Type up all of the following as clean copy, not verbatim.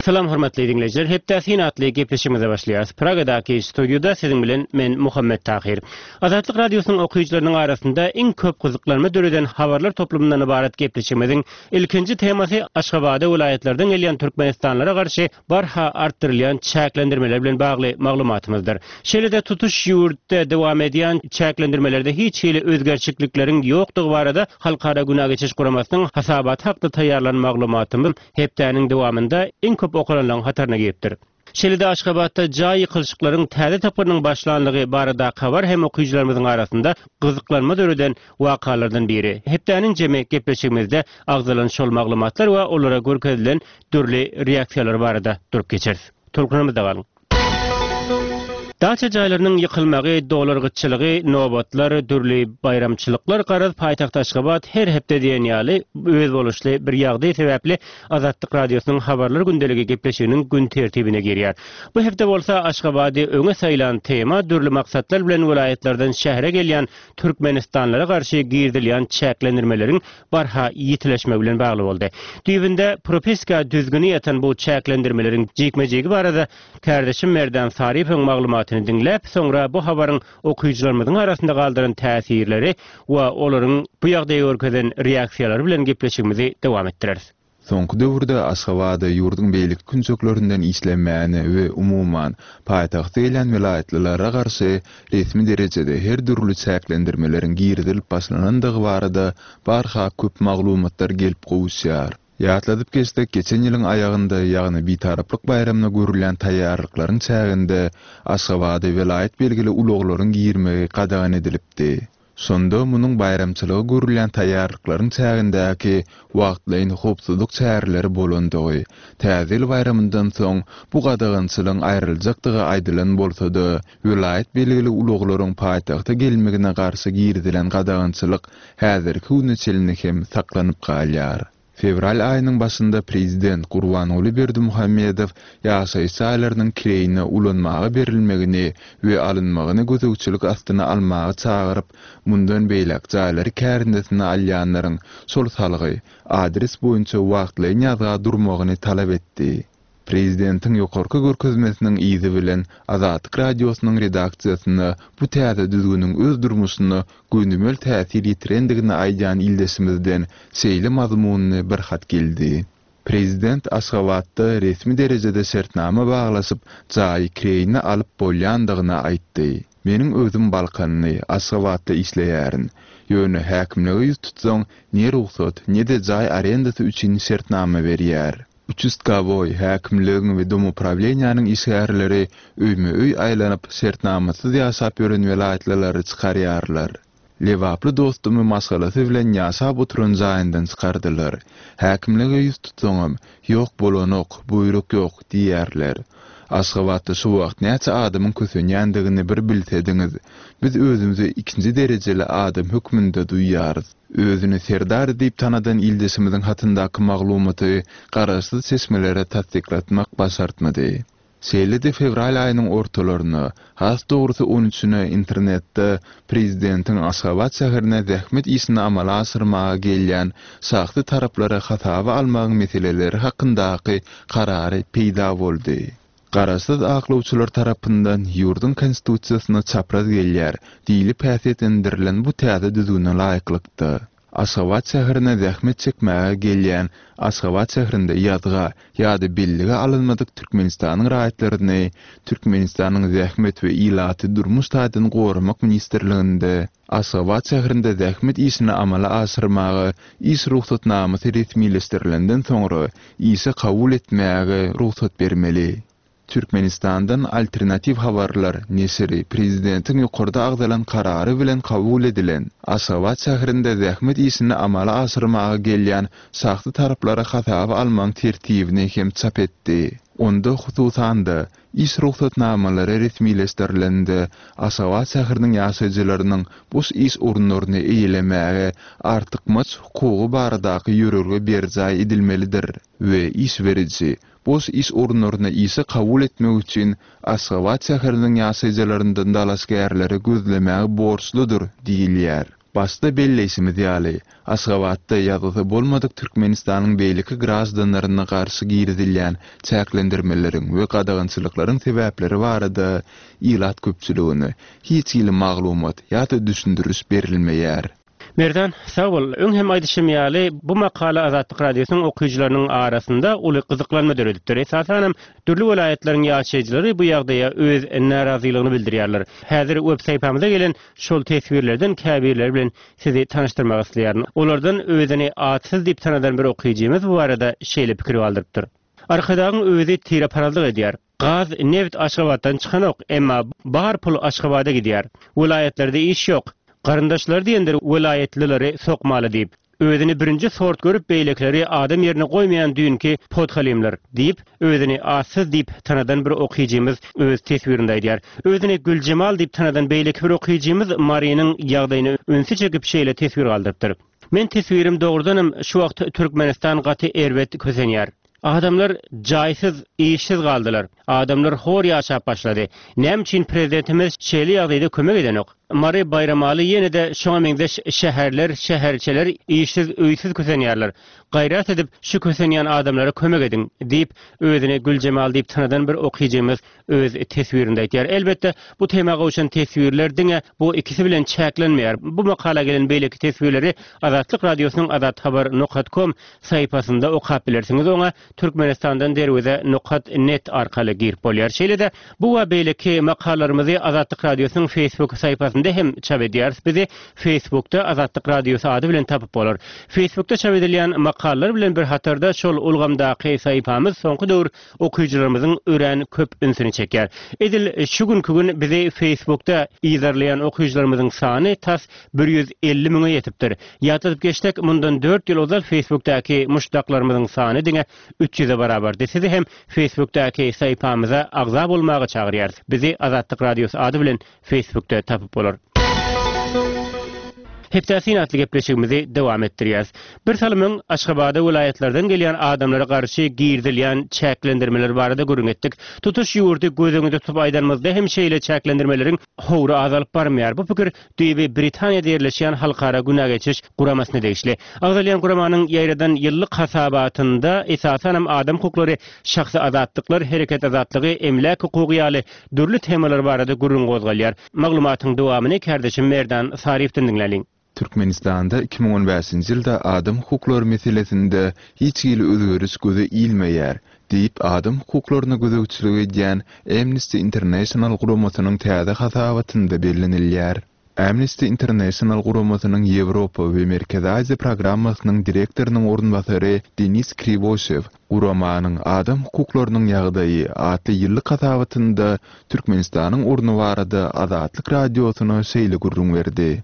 Salam hormatly diňleýjiler, Hepdä syn atly gepleşigimize başlaýarys. Pragadaky studiýada siziň bilen men Muhammet Tahyr. Azatlyk Radiosynyň okyjylarynyň arasynda iň köp gyzyklanma döreden habarlar toplumyndan ybarat gepleşigimiziň ilkinji temasy Aşgabada welaýatlardan gelýän türkmenistanlylara garşy barha artdyrylýan çäklendirmeler bilen bagly maglumatymyzdyr. Şeýle-de tutuş ýurtda dowam edýän çäklendirmelerde hiç hili özgerçiklikleriň ýokdugy barada Halkara Günä geçiş guramasynyň hasabaty hakda taýýarlan maglumatymyz hepdäniň dowamynda iň köp okalanlaryň hataryna giripdir. Şeýle-de Aşgabatda jaý ýykylyşyklaryň täze tapgyrynyň başlanlygy baradaky habar hem okyjylarymyzyň arasynda gyzyklanma döreden wakalardan biri. Hepdäniň jemi gepleşigimizde agzalan şol maglumatlar we olara görkezilen dürli reaksiýalar barada durup geçeris. Tolkunymyzda galyň! Daça jaýlarynyň ýykylmagy, dollar gytçylygy, nobatlar, dürli baýramçylyklar, garaz, paýtagt Aşgabat her hepde diýen ýaly özboluşly bir ýagdaý sebäpli Azatlyk Radiosynyň Habarlar gündeligi gepleşiginiň gün tertibine girýär. Bu hepde bolsa Aşgabady öňe saýlan tema dürli maksatlar bilen welaýatlardan şähere gelýän türkmenistanlylara garşy girizilýän çäklendirmeleriň barha ýitileşmegi bilen bagly boldy. Düýbünde propiska düzgüni ýatan bu çäklendirmeleriň jikme-jigi barada kärdeşim Merdan Sarypowyň maglumatyny diňläp, soňra bu habaryň okyjylarymyzyň arasynda galdyran täsirleri we olaryň bu ýagdaýa görkezen reaksiýalary bilen gepleşigimizi dowam etdireris. Soňky döwürde Aşgabada ýurduň beýleki künjeklerinden işlemäne we umuman, paýtagta gelýän welaýatlylara garşy resmi derejede her dürli çäklendirmeleriň girizilip başlanandygy barada barha köp maglumatlar gelip gowuşýar. Ýatladyp geçsek, geçen ýylyň aýagynda, ýagny Bitaraplyk baýramyna görülýän taýýarlyklaryň çäginde Aşgabada welaýat belgili ulaglaryň girmegi gadagan edilipdi. Şonda munuň baýramçylyga görülýän taýýarlyklaryň çägindäki wagtlaýyn howpsuzlyk çäreleri bolandygy, Täze ýyl baýramyndan soň bu gadagançylygyň aýryljakdygy aýdylan bolsa-da, welaýat belgili ulaglaryň paýtagta gelmegine garşy girizilen gadagançylyk häzirki güne çenli hem saklanyp galýar. Fewral aýynyň başynda prezident Gurbanguly Berdimuhamedow ýaşaýyş jaýlarynyň kireýine ulanmaga berilmegini we alynmagyny gözegçilik astyna almaga çagyryp, mundan beýläk jaýlary kärendesine alýanlaryň şol salgy, adres boýunça wagtlaýyn ýazga durmagyny talap etdi. Prezidentiň ýokarky görkezmesiniň yzy bilen Azatlyk Radiosynyň redaksiýasyna bu täze düzgüniň öz durmuşyna gönümel täsir ýetirendigini aýdýan ildeşimizden şeýle mazmunly bir hat geldi. Prezident Aşgabatda resmi derejede şertnama baglaşyp, jaýy kireýine alyp bolýandygyny aýtdy. Meniň özüm balkanly, Aşgabatda işleýärin. Ýöne häkimlige ýüz tutsaň, ne rugsat, ne-de jaý arendasy üçin şertnama berýär. Uçastkowoý häkimligiň we domuprawleniýanyň işgärleri öýme-öý aýlanyp, şertnamasyz ýaşap ýören welaýatlylary çykarýarlar. Lebaply dostumy maşgalasy bilen ýaşap oturan jaýyndan çykardylar. Häkimlige ýüz tutsaňam, Ýok, bolanok, buýruk ýok diýýärler. Aşgabatda şu wagt näçe adamyň kösenýändigini bir bilsediňiz. Biz özümizi ikinji derejeli adam hökmünde duýýarys. Özüni Serdar diýip tanadan ildeşimiziň hatyndaky maglumaty garaşsyz çeşmelere tassyklatmak başartmady. Şeýle-de fewral aýynyň ortalaryna, has dogrusy on üçüne internetde prezidentiň Aşgabat şäherine zähmet işini amala aşyrmaga gelýän şahsy taraplary hasaba almagyň meseleleri hakyndaky karary peýda boldy. Garaşsyz aklawçylar tarapyndan ýurduň Konstitusiýasyna çapraz gelýär diýlip häsiýetlendirilen bu täze düzgüne laýyklykda, Aşgabat şäherine zähmet çekmäge gelýän Aşgabat şäherinde ýazga ýa-da bellige alynmadyk Türkmenistanyň raýatlaryny Türkmenistanyň Zähmet we ilaty durmuş taýdan goramak ministrliginde Aşgabat şäherinde zähmet işini amala aşyrmaga iş rugsatnamasy resmileşdirilenden soňra işe kabul etmäge rugsat bermeli. Türkmenistandan Alternatiw habarlar neşiri prezidentiň ýokarda agzalan karary bilen kabul edilen, Aşgabat şäherinde zähmet işini amala aşyrmaga gelýän şahsy taraplary hasaba almagyň tertibini hem çap etdi. Onda, hususan-da, Iş rugsatnamalary resmileşdirilende, Aşgabat şäheriniň ýaşaýjylarynyň boş iş orunlaryny eýelemäge artykmaç hukugy baradaky ýörelge berjaý edilmelidir we iş beriji boş iş orunlaryna işe kabul etmek üçin Aşgabat şäheriniň ýaşaýjylaryndan dalaşgärleri gözlemäge borçludyr diýilýär. Başda belleýşimiz ýaly, Aşgabatda ýazgysy bolmadyk Türkmenistanyň beýleki graždanlaryna garşy girizilýän çäklendirmeleriň we gadagançylyklaryň sebäpleri barada ilat köpçüligine hiç hili maglumat ýa-da düşündiriş berilmeýär. Merdan, sag bol. Öň hem aýdyşym ýaly, bu makala Azatlyk Radiosynyň okyjylarynyň arasynda uly gyzyklanma döredipdir. Esasanam, dürli welaýatlaryň ýaşaýjylary bu ýagdaýa öz närazylygyny bildirýärler. Häzir web sahypamyza gelen şol teswirlerden käbirleri bilen sizi tanyşdyrmak isleýärin. Olardan özüni atsyz diýip tanadan bir okyjymyz bu barada şeýle pikir galdyrypdyr. Arkadagyň özi tireparazlyk edýär. Gaz, neft Aşgabatdan çykanok, emma bar pul Aşgabada gidýär. Welaýatlarda iş ýok. Garyndaşlary diýendir welaýatlylary sokmaly diýip. Özüni birinji sort görüp beýlekileri adam ýerine goýmaýan düýnki podhalimler, diýip, özüni atsyz diýip tanadan bir okyjymyz öz teswirinde aýdýar. Özüni Güljemal diýip tanadan beýleki bir okyjymyz Marynyň ýagdaýyna ünsi çekip şeýle teswir galdyrypdyr. Men teswirim dogrudanam şu wagt Türkmenistan gaty erbet kösenýär. Adamlar jaýsyz, işsiz galdylar. Adamlar hor ýaşap başlady. Näme üçin prezidentimiz şeýle ýagdaýda kömek edenok? Mary, Baýramaly ýene-de şoňa meňzeş şäherler, şäherçeler işsiz, öýsüz kösenýärler. Gaýrat edip şu kösenýän adamlara kömek ediň! diýip, özüni Güljemal diýip tanadan bir okyjymyz öz teswirinde aýtýar. Elbetde, bu tema gowşan teswirler diňe bu ikisi bilen çäklenmeýär. Bu makala gelen beýleki teswirleri Azatlyk Radiosynyň azathabar nokat kom sahypasynda okap bilersiňiz. Oňa Türkmenistandan derweze nokat net arkaly girip bolýar. Şeýle-de, bu we beýleki makalalarymyzy Azatlyk Radiosynyň Facebook sahypasynda hem çap edýäris. Bizi Facebookda Azatlyk Radiosy ady bilen tapyp bolar. Facebookda çap edilýän makalalar bilen bir hatarda şol ulgamdaky sahypamyz soňky döwür okyjylarymyzyň örän köp ünsüni çekýär. Edil şu günki gün bizi Facebookda yzarlaýan okyjylarymyzyň sany tas 150 müňe ýetipdir. Ýatladyp geçsek, mundan dört ýyl ozal Facebookdaky muşdaklarymyzyň sany diňe 300-e barabardy. Sizi hem Facebookdaky sahypamyza agza bolmaga çagyrýarys. Bizi Azatlyk Radiosy ady bilen Facebookda tapyp bolar. Hepdä syn atly gepleşigimizi dowam etdirýäris. Bir salym öň Aşgabada welaýatlardan gelýän adamlara garşy girizilýän çäklendirmeler barada gürrüň etdik. Tutuş ýurdy göz öňünde tutup aýdanymyzda hem şeýle çäklendirmeleriň howry azalyp barmaýar. Bu pikir düýbi Britaniýada ýerleşýän Halkara günä geçiş guramasyna degişli. Agzalýan guramanyň ýaýradan ýyllyk hasabatynda esasanam adam hukuklary, şahsy azatlyklar, hereket azatlygy, emläk hukugy ýaly dürli temalar barada gürrüň gozgalýar. Maglumatyň dowamyny kärdeşim Merdan Saryýewden diňläliň. Türkmenistanda 2015-nji ýylda adam hukuklary meselesinde hiç hili özgeriş göze ilmeýär, diýip, adam hukuklaryna gözegçilik edýän Amnesty International guramasynyň täze hasabatynda bellenilýär. Amnesty International guramasynyň Ýewropa we Merkezi Aziýa programmasynyň direktorynyň orunbasary Denis Kriwoşew guramanyň Adam hukuklarynyň ýagdaýy atly ýyllyk hasabatynda Türkmenistanyň orny barada Azatlyk Radiosyna şeýle gürrüň berdi.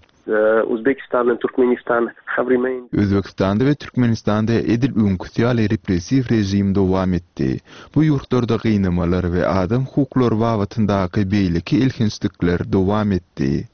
Uzbekistan and Turkmenistan have remained. Özbegistanda we Türkmenistanda edil öňküsi ýaly repressiw režim dowam etdi. Bu ýurtlarda gynamalar we adam hukuklary babatyndaky beýleki elhençlikler dowam etdi.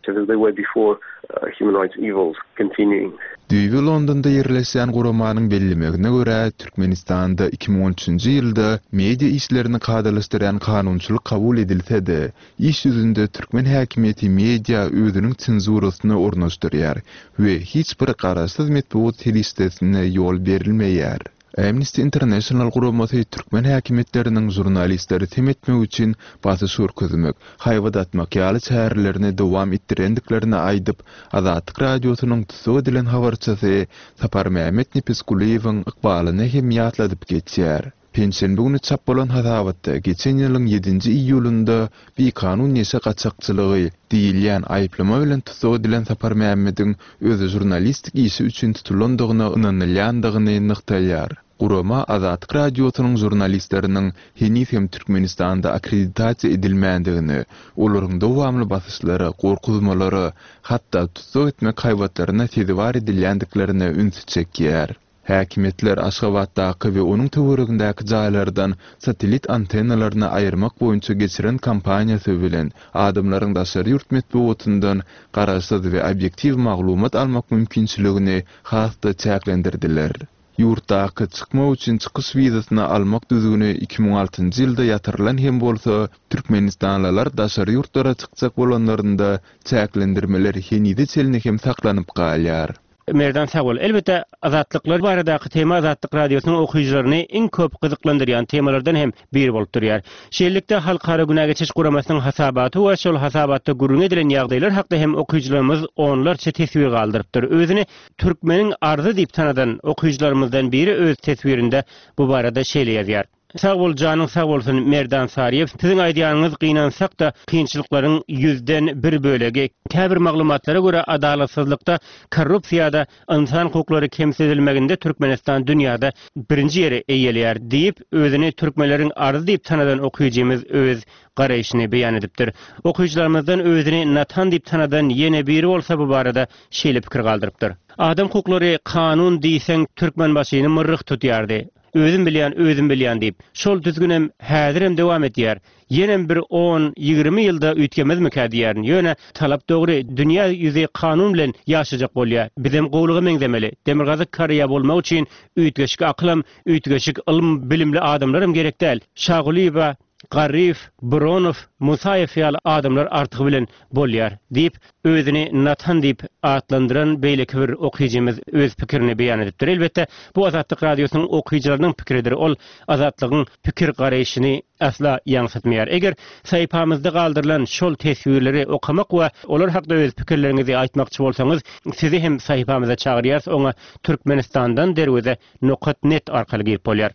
Düýbi Londonda ýerleşýän guramanyň bellemegine görä, Türkmenistanda 2013-nji ýylda media işlerini kadalaşdyrýan kanunçylyk kabul edilse-de, iş ýüzünde türkmen häkimiýeti media özüniň senzurasyny ornaşdyrýar we hiç bir garaşsyz metbugat serişdesine ýol berilmeýär. Amnesty International guramasy türkmen häkimiýetleriniň žurnalistleri sem etmek üçin basyş görkezmek, haýbat atmak ýaly çärelerini dowam etdirendiklerini aýdyp, Azatlyk Radiosynyň tussag edilen habarçysy Saparmämmet Nepesgulyýewiň ykbalyny hem ýatladyp geçýär. Penşenbe güni çap bolan hasabatda geçen ýylyň ýedinji iýulynda bikanun neşe gaçakçylygy diýilýän aýyplama bilen tussag edilen Saparmämmediň özi žurnalistik işi üçin tutulandygyna ynanylýandygyny nygtaýar. Gurama Azatlyk Radiosynyň žurnalistleriniň heniz hem Türkmenistanda akkreditasiýa edilmändigini, olaryň dowamly basyşlara, gorkuzmalara, hatda tussag etmek haýbatlaryna sezewar edilýändiklerine ünsi çekýär. Häkimiýetler Aşgabatdaky we onuň töweregindäki jaýlardan satellit antennalaryny aýyrmak boýunça geçiren kampaniýasy bilen adamlaryň daşary ýurt metbugatyndan garaşsyz we obýektiw maglumat almak mümkinçiligini has-da çäklendirdiler. Ýurtdaky çykmak üçin çykyş wizasyny almak düzgüni 2006-njy ýylda ýatyrylan hem bolsa, türkmenistanlylar daşary ýurtlara çykjak bolanlarynda çäklendirmeler henize çenli hem saklanyp galýar. Merdan sag bol. Elbetde azatlyklar baradaky tema Azatlyk Radiosynyň okyjylaryny iň köp gyzyklandyrýan temalardan hem biri bolup durýar. Şeýlelikde Halkara Günä geçiş guramasynyň hasabaty we şol hasabatda gürrüňi edilen ýagdaýlar hakda hem okyjylarymyz onlarça teswir galdyrypdyr. Özüni Türkmeniň arzy diýip tanadan okyjylarymyzdan biri öz teswirinde bu barada şeýle ýazýar. Sag bol janyň sag bolsun Merdan Saryýew siziň aýdýanyňyz gynansakda kynçylyklaryň ýüzden bir bölegi. Käbir maglumatlara görä adalatsyzlykda korrupsiýada ynsan hukuklary kemsidilmeginde Türkmenistan dünýada birinji ýeri eýeleýär diýip özüni türkmenleriň arzy diýip tanadan okyjymyz öz garaýşyny beýan edipdir. Okyjylarymyzdan özüni Natan diýip tanadan ýene biri bolsa bu barada şeýle pikir galdyrypdyr. Adam hukuklary kanun diýseň Türkmenbaşyny myrryh tutýardy. Özüm bilýän, özüm bilýän diýip. Şol düzgünem häzirem dowam edýär. Ýenem bir on, 20 ýylda üýtgemezmikä diýýärin. Ýöne talap dogry, dünýä ýüzi kanun bilen ýaşajak bolýa. Bizem gowulyga meňzemeli. Demirgazyk Koreýa bolmak üçin üýtgeşik akylam, üýtgeşik ylym, bilimli adamlaram gerek däl. Şagulyýewa Garryýew, Buronow, Musaýew ýaly adamlar artygy bilen bolýar, diýip, özüni Natan diýip atlandyran beýleki bir okyjymyz öz pikirini beýan edipdir. Elbetde, bu Azatlyk Radiosynyň okyjylarynyň pikiridir, ol Azatlygyň pikir-garaýşyny asla ýaňsytmaýar. Eger sahypamyzda galdyrylan şol teswirleri okamak we olar hakda öz pikirleriňizi aýtmakçy bolsaňyz, sizi hem sahypamyza çagyrýarys, oňa Türkmenistandan derweze nokat net arkaly girip bolýar.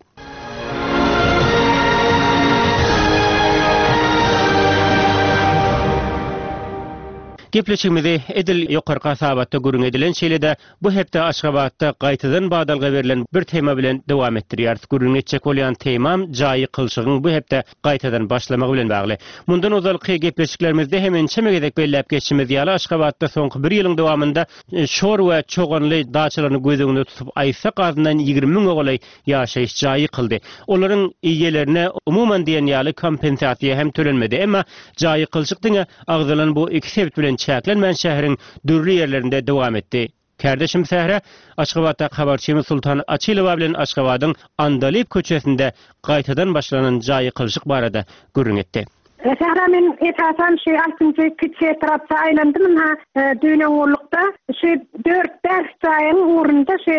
Gepleşigimizi edil ýokarky hasabatda gürrüň edilen şeýle-de bu hepde Aşgabatda gaýtadan badalga berlen bir tema bilen dowam etdirýäris. Gürrüň etjek bolýan temam jaý ýykylyşygyň bu hepde gaýtadan başlamagy bilen bagly. Mundan ozalky gepleşiklerimizde hem ençeme gezek belläp geçişimiz ýaly Aşgabatda soňky bir ýylyň dowamynda Şor we Çoganly daçalaryny göz öňünde tutup aýtsak azyndan 20 müňe golaý ýaşaýyş jaýy ýykyldy. Olaryň eýelerine umuman diýen ýaly kompensasiýa hem tölenmedi. Emma jaý ýykylyşyk diňe agzalan bu iki sebit bilen çäklenmän şäheriň dürli ýerlerinde dowam etdi. Kärdeşim Sähra Aşgabatdaky habarçymyz Sultan Açylowa bilen Aşgabadyň Andalyp köçesinde gaýtadan başlanan jaý ýykylyşyk barada gürrüň etdi. Sähra men esasan şu altynjy kiçi etrapça aýlandym ynha düýn öňňullukda şu dört-bäş jaýyň ugrunda şu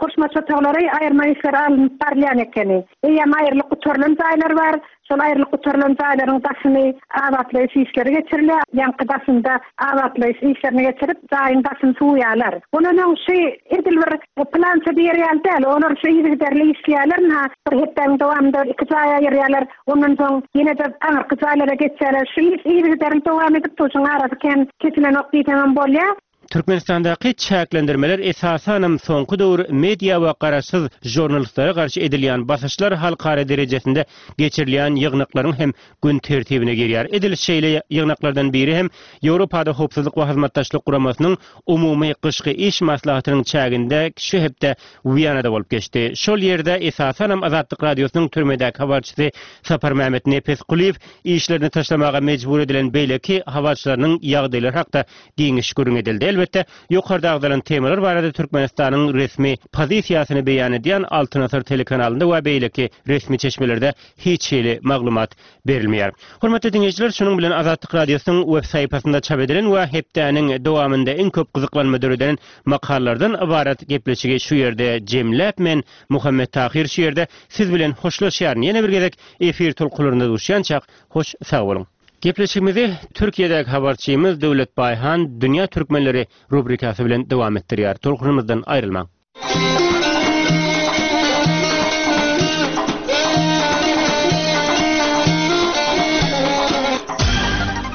goşmaça otaglary aýyrma işleri alnyp barylýan ekeni. Eýýäm aýrylyp gutarylan jaýlar bar. Şol aýrylyp gutarylan jaýlaryň daşyny abatlaýyş işleri geçirilýär. Ýaňky daşynda abatlaýyş işlerini geçirip, jaýyň daşyny suwaýarlar. Ondan öň şu edil bir plança diýer ýaly däl. Olar şu yzygiderli işleýärler. Ynha, bir hepdäniň dowamynda iki jaý aýyrýarlar. Ondan soň ýene-de aňyrky jaýlara geçýärler. Şu iş yzygiderli dowam edip dur. Şuň arasy kän kesilenok diýseňem bolýar. Türkmenistandaky çäklendirmeler esasanam soňky döwür media we garaşsyz žurnalistlere garşy edilýän basyşlar halkara derejesinde geçirilýän ýygnaklaryň hem gün tertibine girýär. Edil şeýle ýygnaklardan biri hem Ýewropada Howpsuzlyk we Hyzmatdaşlyk Guramasynyň umumy gyşky iş maslahatynyň çäginde şu hepde Wiýanada bolup geçdi. Şol ýerde esasanam Azatlyk Radiosynyň türmedäki habarçysy Saparmämmet Nepesgulyýew işlerini taşlamaga mejbur edilen beýleki habarçylarynyň ýagdaýlary hakda giňiş gürrüň edildi. Elbetde, ýokarda agzalan temalar barada Türkmenistanyň resmi pozisiýasyny beýan edýän Altyn asyr telekanalynda we beýleki resmi çeşmelerde hiç hili maglumat berilmeýär. Hormatly diňleýjiler, şunuň bilen Azatlyk Radiosynyň web sahypasynda çap edilen we hepdäniň dowamynda iň köp gyzyklanma döreden makalalardan ybarat gepleşigi şu ýerde jemläp, men Muhammet Tahyr şu ýerde siz bilen hoşlaşýaryn. Ýene bir gezek efir tolkunlarynda duşýançak, hoş sag boluň. Gepleşigimizi Türkiýedäki habarçymyz Döwlet Baýhan Dünýä türkmenleri rubrikasy bilen dowam etdirýär. Tolkunymyzdan aýrylmaň.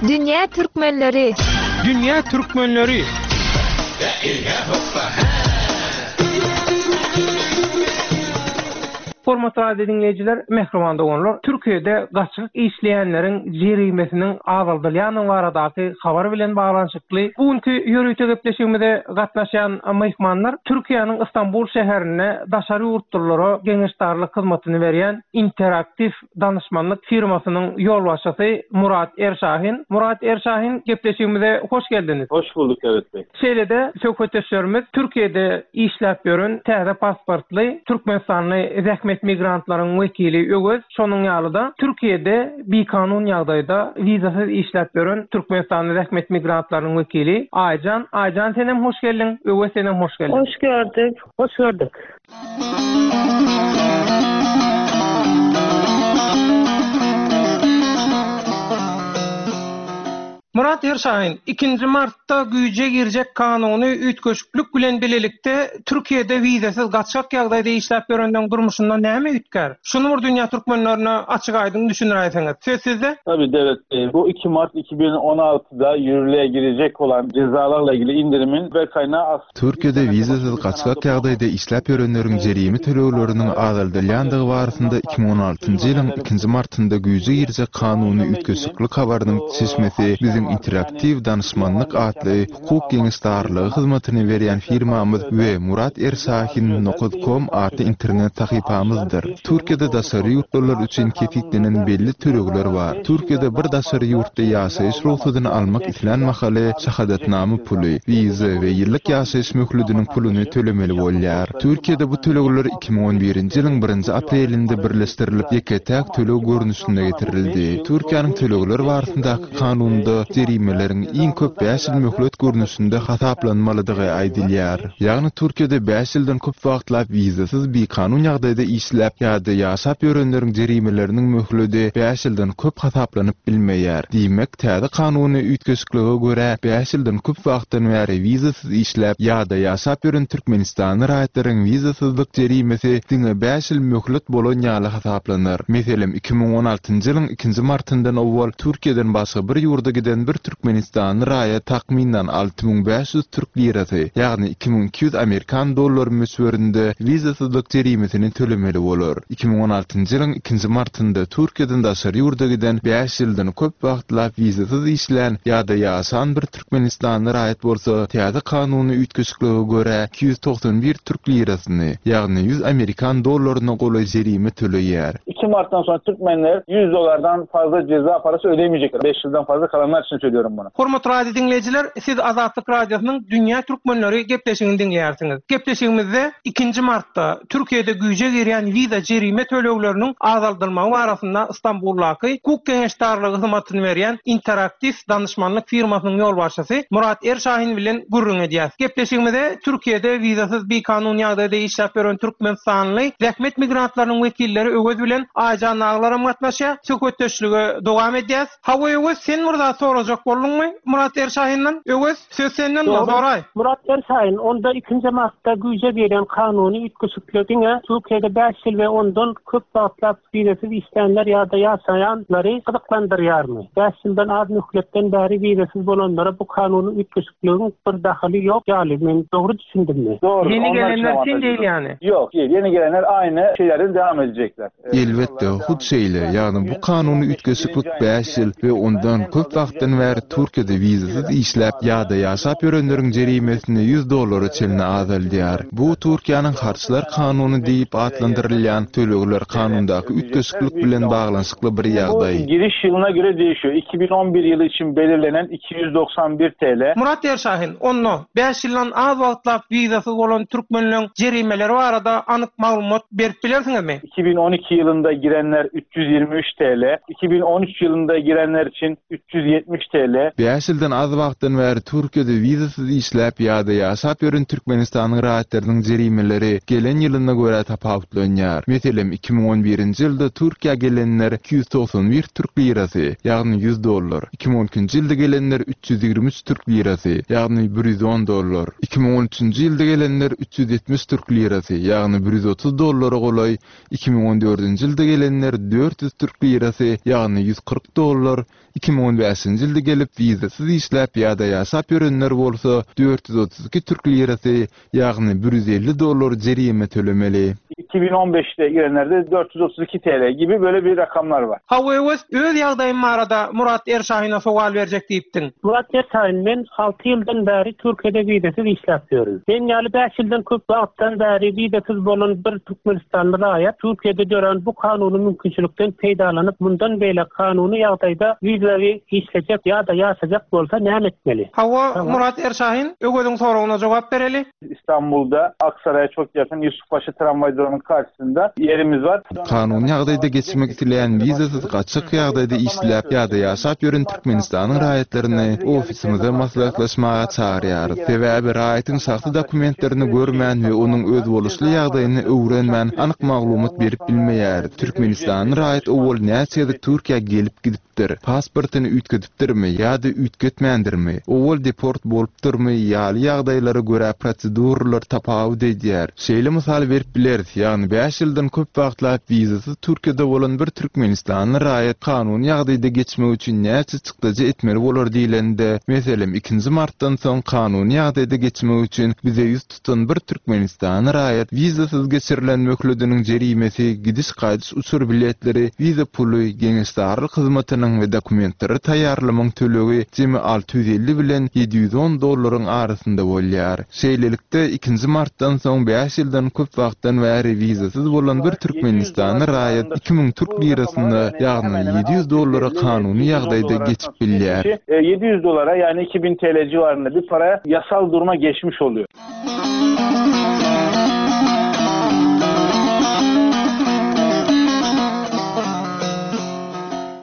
Dünýä türkmenleri. Dünýä türkmenleri. Hormatly radio diňleýjiler, mähriban doganlar, Türkiýede gaçgak işleýänleriň jerimesiniň azaldylýandygy baradaky habar bilen baglanyşykly bu günki ýörite gepleşigimize gatnaşýan myhmanlar Türkiýäniň Istanbul şäherinde daşary ýurtlulara geňeşdarlyk hyzmatyny berýän Interaktiw danyşmanlyk firmasynyň ýolbaşçysy Murat Erşahin. Murat Erşahin, gepleşigimize hoş geldiňiz. Hoş bulduk Döwlet beg. Şeýle-de söhbetdeşlerimiz Türkiýede işläp ýören täze pasportly türkmenistanly zähmet migrantlaryň wekili Öwez, şonuň ýaly-da Türkiýede bikanun ýagdaýda wizasyz işläp ýören türkmenistanly zähmet migrantlarynyň wekili Aýjan. Aýjan senem hoş geldiň, Öwez senem hoş geldiň. Hoş gördük. Hoş gördük. Murat Erşahin, Ikinji martda güýje girjek kanuny üýtgeşiklik bilen bilelikde Türkiýede wizasyz gaçgak ýagdaýda işläp ýörenleň durmuşynda näme üýtgär? Şuny bir dünýä türkmenlerine açyk-aýdyň düşündiräýseňiz. Söz sizde. Tabii Devlet Bey, bu 2 Mart 2016'da yürürlüğe girecek olan cezalarla ilgili indirimin ve kaynağı aslında Türkiýede wizasyz gaçgak ýagdaýda işläp ýörenleriň jerime tölegleriniň azaldylýandygy barasynda 2016-njy ýylyň ikinji martynda güýje girjek kanuny üýtgeşiklik habarynyň çeşmesi biziň Interaktiw danyşmanlyk atly hukuk geňeşdarlygy hyzmatyny berýän firmamyz we Murat Erşahin nokat kom atly internet sahypamyzdyr. Türkiýede daşary ýurtlular üçin kesgitlenen belli tölegler bar. Türkiýede bir daşary ýurtda ýaşaýyş rugsadyny almak islän mahaly şahadatnama puly, wiza we ýyllyk ýaşaýyş möhlediniň puluny tölemeli bolýar. Türkiýede bu tölegler 2011-nji ýylyň birinji aprelinde birleşdirilip ýeke-täk töleg görnüşinde getirildi. Türkiýäniň tölegler barasyndaky kanunynda jerimeleriň iň köp bäş ýyl möhlet görnüşinde hasaplanmalydygy aýdylýar. Ýagny Türkiýede bäş ýyldan köp wagtlap wizasyz bikanun ýagdaýda işläp ýa-da ýaşap ýörenleriň jerimeleriniň möhledi bäş ýyldan köp hasaplanyp bilmeýär. Diýmek, täze kanuny üýtgeşiklige görä, bäş ýyldan köp wagtdan bäri wizasyz işläp ýa-da ýaşap ýören türkmenistanly raýatlaryň wizasyzlyk jerimesi diňe bäş ýyl möhlet bolan ýaly hasaplanar. Meselem, 2016-njy ýylyň ikinji martyndan owal Türkiýeden başga bir ýurda giden bir türkmenistanly raýat takmyndan 6500 türk lirasy, ýagny 2200 amerikan dollary möçberinde wizasyzlyk jerimesini tölemeli bolar. 2016-njy ýylyň ikinji martynda Türkiýeden daşary ýurda giden, bäş ýyldan köp wagtlap wizasyz işlän ýa-da ýaşan bir türkmenistanly raýat bolsa, täze kanuny üýtgeşiklige görä, 291 türk lirasyny, ýagny 100 amerikan dollaryna golaý jerime töleýär. 2 Martdan soň türkmenler 100 dolardan fazla ceza parasy ödemeyecekler. 5 ýyldan fazla kalanlar üçin söylüyorum bunu. Hormatly radio diňleýjiler, siz Azatlyk Radiosynyň Dünýä Türkmenleri gepleşigini diňleýärsiňiz. Gepleşigimizde ikinji martda Türkiýede güýje girýän wiza jerime tölegleriniň azaldylmagy barasynda Stambuldaky hukuk geňeşdarlygy hyzmatyny berýän Interaktiw danyşmanlyk firmasynyň ýolbaşçysy Murat Erşahin bilen gürrüň edýäs. Gepleşigimize Türkiýede wizasyz bikanun ýagdaýda işläp ýören türkmenistanly zähmet migrantlarynyň wekilleri Öwez bilen Aýjan Naglaram gatnaşýar. Söhbetdeşlige dowam edýäs. Hawa Öwez sen bir zat sorajak bolduňmy Murat Erşahinden? Öwez, söz senden soraý. Murat Erşahin, Onda ikinji martda güýje giren kanuny üýtgeşikler diňe Türkiýede bäş ýyl we ondan köp wagtlap Wizasyz işlänler ýa-da ýaşaýanlary gyzyklandyrýarmy? Bäş ýyldan az möhletden bäri wizasyz bolanlara bu kanuny üýtgeşikligiň bir dahyly ýok ýaly, men dogry düşündimmi? Dogry, Ýeni onlar üçin gelenler üçin awantaž değil ýok. ýany. Ýok, ýeni gelenler aýny şeýlerden dewam edecekler. Elbetde, hut şeýle, ýagny bu kanuny üýtgeşiklik bäş ýyl we ondan köp wagtdan bäri Türkiýede wizasyz işläp ýa-da ýaşap ýörenleriň jerimesini 100 dollara çenli azaldýar. Bu Türkiýäniň harçlar kanuny diýip atlandyrylýan tölegler kanundaky üýtgeşiklik bilen baglanyşykly bir ýagdaý. Bu giriş ýylyna göre değişiyor. 2011 ýyly üçin belirlenen 291 TL. Murat Erşahin, Onda, bäş ýyldan az wagtlap wizasyz bolan türkmenleň jerimeleri barada anyk maglumat berip bilersiňizmi? 2012 ýylynda girenler 323 TL, 2013 ýylynda girenler üçin 370 TL. Bäş ýyldan az wagtdan bäri Türkiýede wizasyz işläp ýa-da ýaşap ýören Türkmenistanyň raýatlarynyň jerimeleri gelen ýylyna görä tapawutlanýar. Meselem, 2011-nji ýylda Türkiýä gelenler 291 türk lirasy, ýagny 100 dollar, 2012-nji ýylda gelenler 323 türk lirasy, ýagny 110 dollar, 2013-nji ýylda gelenler 370 türk lirasy, ýagny 130 dollara golaý, 2014-nji ýylda gelenler 400 türk lirasy, ýagny 140 dollar, 2015-nji ýylda. ýylda gelip wizasyz işläp ýa-da ýaşap ýörenler bolsa 432 türk lirasy, ýagny 150 dollar jerime tölemeli. 2015'de girenlerde 432 TL gibi böyle bir rakamlar var. Hawa Öwez, öz ýagdaýym barada Murat Erşahine sowal berjek diýipdiň. Murat Erşahin, men alty ýyldan bäri Türkiýede wizasyz işläp ýörün. Men ýaly bäş ýyldan köp wagtdan bäri wizasyz bolan bir türkmenistanly raýat Türkiýede dörän bu kanuny mümkinçilikden peýdalanyp mundan beýläk kanuny ýagdaýda wizaly işlejek ýa-da ýaşajak bolsa näme etmeli? Hawa, Murat Erşahin, Öweziň soragyna jogap bereli. İstanbul'da Aksaray'a çok yakın Yusufpaşa tramvay durağının karşısında yerimiz var. Kanuny ýagdaýda geçmek isleýän wizasyz gaçak ýagdaýda işläp ýa-da ýaşap ýören Türkmenistanyň raýatlaryny ofisimize maslahatlaşmaga çagyrýarys. Sebäbi raýatyň şahsy dokumentlerini görmän we onuň özboluşly ýagdaýyny öwrenmän anyk maglumat berip bilmeýäris. Türkmenistanly raýat owal näçe gezek Türkiýä gelip-gidipdir? Pasportyny üýtgedipdirmi ýa-da üýtgetmändirmi, owal deport bolupdyrmy ýaly ýagdaýlara görä proseduralar tapawut edýär. Şeýle mysal berip bileris, ýagny bäş ýyldan köp wagtlap wizasyz Türkiýede bolan bir türkmenistanly raýat kanuny ýagdaýda geçmek üçin näçe çykdajy etmeli bolar diýlende, meselem, ikinji martdan soň kanuny ýagdaýda geçmek üçin bize ýüz tutan bir türkmenistanly raýat wizasyz geçirilen möhlediniň jerimesi, gidiş-gaýdyş uçar biletleri, wiza puly, geňeşdarlyk hyzmatynyň we dokumentleri taýýarlamagyň tölegi jemi 650 bilen 710 dollaryň arasynda bolýar. Şeýlelikde, ikinji martdan soň bäş ýyldan köp wagtdan bäri wizasyz bolan bir türkmenistanly raýat 2000 türk lirasyna, ýagny 700 dollara kanuny ýagdaýda geçip bilýär. 700 dolara yani 2000 TL civarında bir paraya yasal duruma geçmiş oluyor.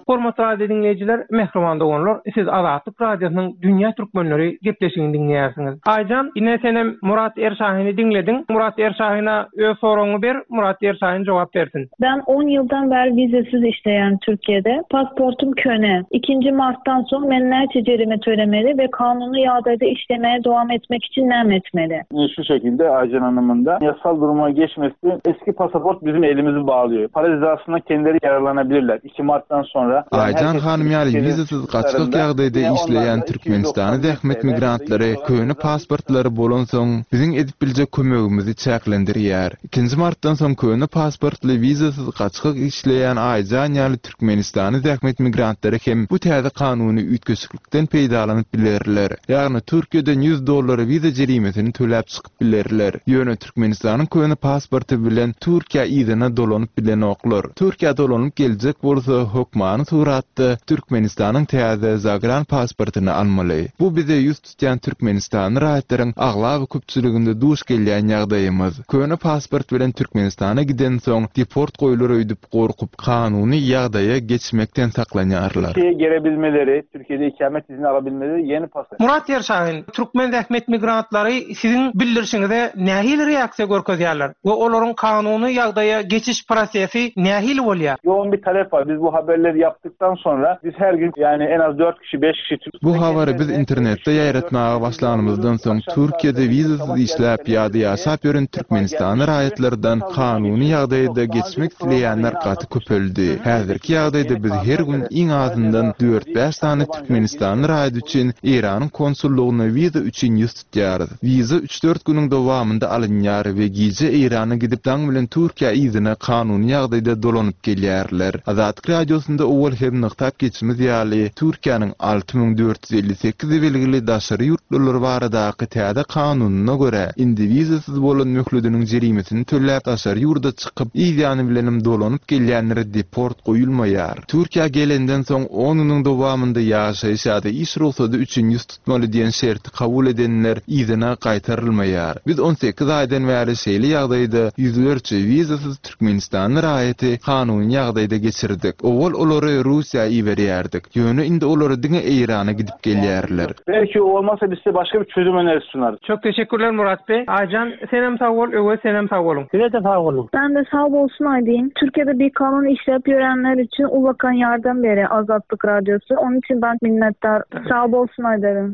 Hormatly radio diňleýjiler, mähriban doganlar, siz Azatlyk Radiosynyň Dünýä Türkmenleri gepleşigini diňleýärsiňiz. Aýjan, ine senem Murat Erşahini diňlediň. Murat Erşahine öz soragyňy ber, Murat Erşahin jogap bersin. Ben on ýyldan bäri wizesiz işleýän Türkiýede. Pasportym köne. Ikinji martdan soň men näçe jerime tölemeli we kanuny ýagdaýda işlemäge dowam etmek üçin näme etmeli? Şu şekilde Aycan Hanım'ın da yasal duruma geçmesi eski pasaport bizim elimizi bağlıyor. Para cezasından kendileri yararlanabilirler. 2 Martdan sonra. Aýjan hanym ýaly wizasyz gaçgak ýagdaýda işleýän türkmenistanly zähmet migrantlary köne pasportlary bolansoň biziň edip biljek kömegimizi çäklendirýär. Ikinji martdan soň köne pasportly wizasyz gaçgak işleýän Aýjan ýaly türkmenistanly zähmet migrantlary hem bu täze kanuny üýtgeşiklikden peýdalanyp bilerler. Ýagny Türkiýeden 100 dollar wiza jerimesini töläp çykyp bilerler. Ýöne Türkmenistanyň köne pasporty bilen Türkiýä yzyna dolanyp bilenoklar. Türkiýä dolanyp geljek bolsa hökmany suratda Türkmenistanyň täze zagran pasportyny almaly. Bu bize ýüz tutýan türkmenistanly raýatlaryň aglaba köpçüliginde duş gelýän ýagdaýymyz. Köne pasport bilen Türkmenistana gidensoň deport goýlar öýdüp gorkup kanuny ýagdaýa geçmekden saklanýarlar. Türkiýeye gelebilmeleri, Türkiýede ikamet izni alabilmeleri yeni pasaport. Murat Ýerşahin, Türkmen zähmet migrantlary siziň bildirişiňize nähili reaksiýa görkezýärler we olaryň kanuny ýagdaýa geçiş prosesi nähili bolýar? Yoğun bir talep bar. Biz bu haberleri yaptıktan sonra biz her gün yani en az 4 kişi 5 kişi Bu habary biz internetde ýaýratmaga başlanymyzdan soň Türkiýede wizasyz işläp ýa-da ýaşap ýören türkmenistanly raýatlardan kanuny ýagdaýda geçmek isleýänler gaty köpeldi. Häzirki ýagdaýda biz her gün iň azyndan dört-bäş sany türkmenistanly raýat üçin Eýranyň konsullygyna wiza üçin ýüz tutýarys. Wiza üç-dört günüň dowamynda alynýar we gije Eýrana gidip daň bilen Türkiýä yzyna kanuny ýagdaýda dolanyp gelýärler. Azatlyk Radiosynda owal hem nygtap geçimiz ýaly, Türkiýäniň 6458 belgili daşary ýurtlular baradaky täze kanunyna görä, indi wizasyz bolan möhlediniň jerimesini töläp daşary ýurda çykyp, yz ýany bilenem dolanyp gelýänlere deport goýulmaýar. Türkiýä gelenden soň on günüň dowamynda ýaşaýyş ýa-da iş rugsady üçin ýüz tutmaly diýen şerti kabul edenler yzyna gaýtarylmaýar. Biz on sekiz aýdan bäri şeýle ýagdaýda ýüzlerçe wizasyz türkmenistanly raýaty kanuny ýagdaýda geçirdik. Owal olary Russiýa iberýärdik. Ýöne indi olary diňe Eýrana gidip gelýärler. Belki olmasa biz size başga bir çözüm önerisi sunarys. Çok teşekkürler Murat Bey. Aycan senem sag bol, Öwez senem sag boluň. Size-de sag boluň. Ben de sag bolsun aýdayyn. Türkiye'de bikanun işläp ýörenler üçin ullakan ýardam berýär Azatlyk Radiosy. Onun üçin ben minnetdar. Sag bolsun aýdaryn.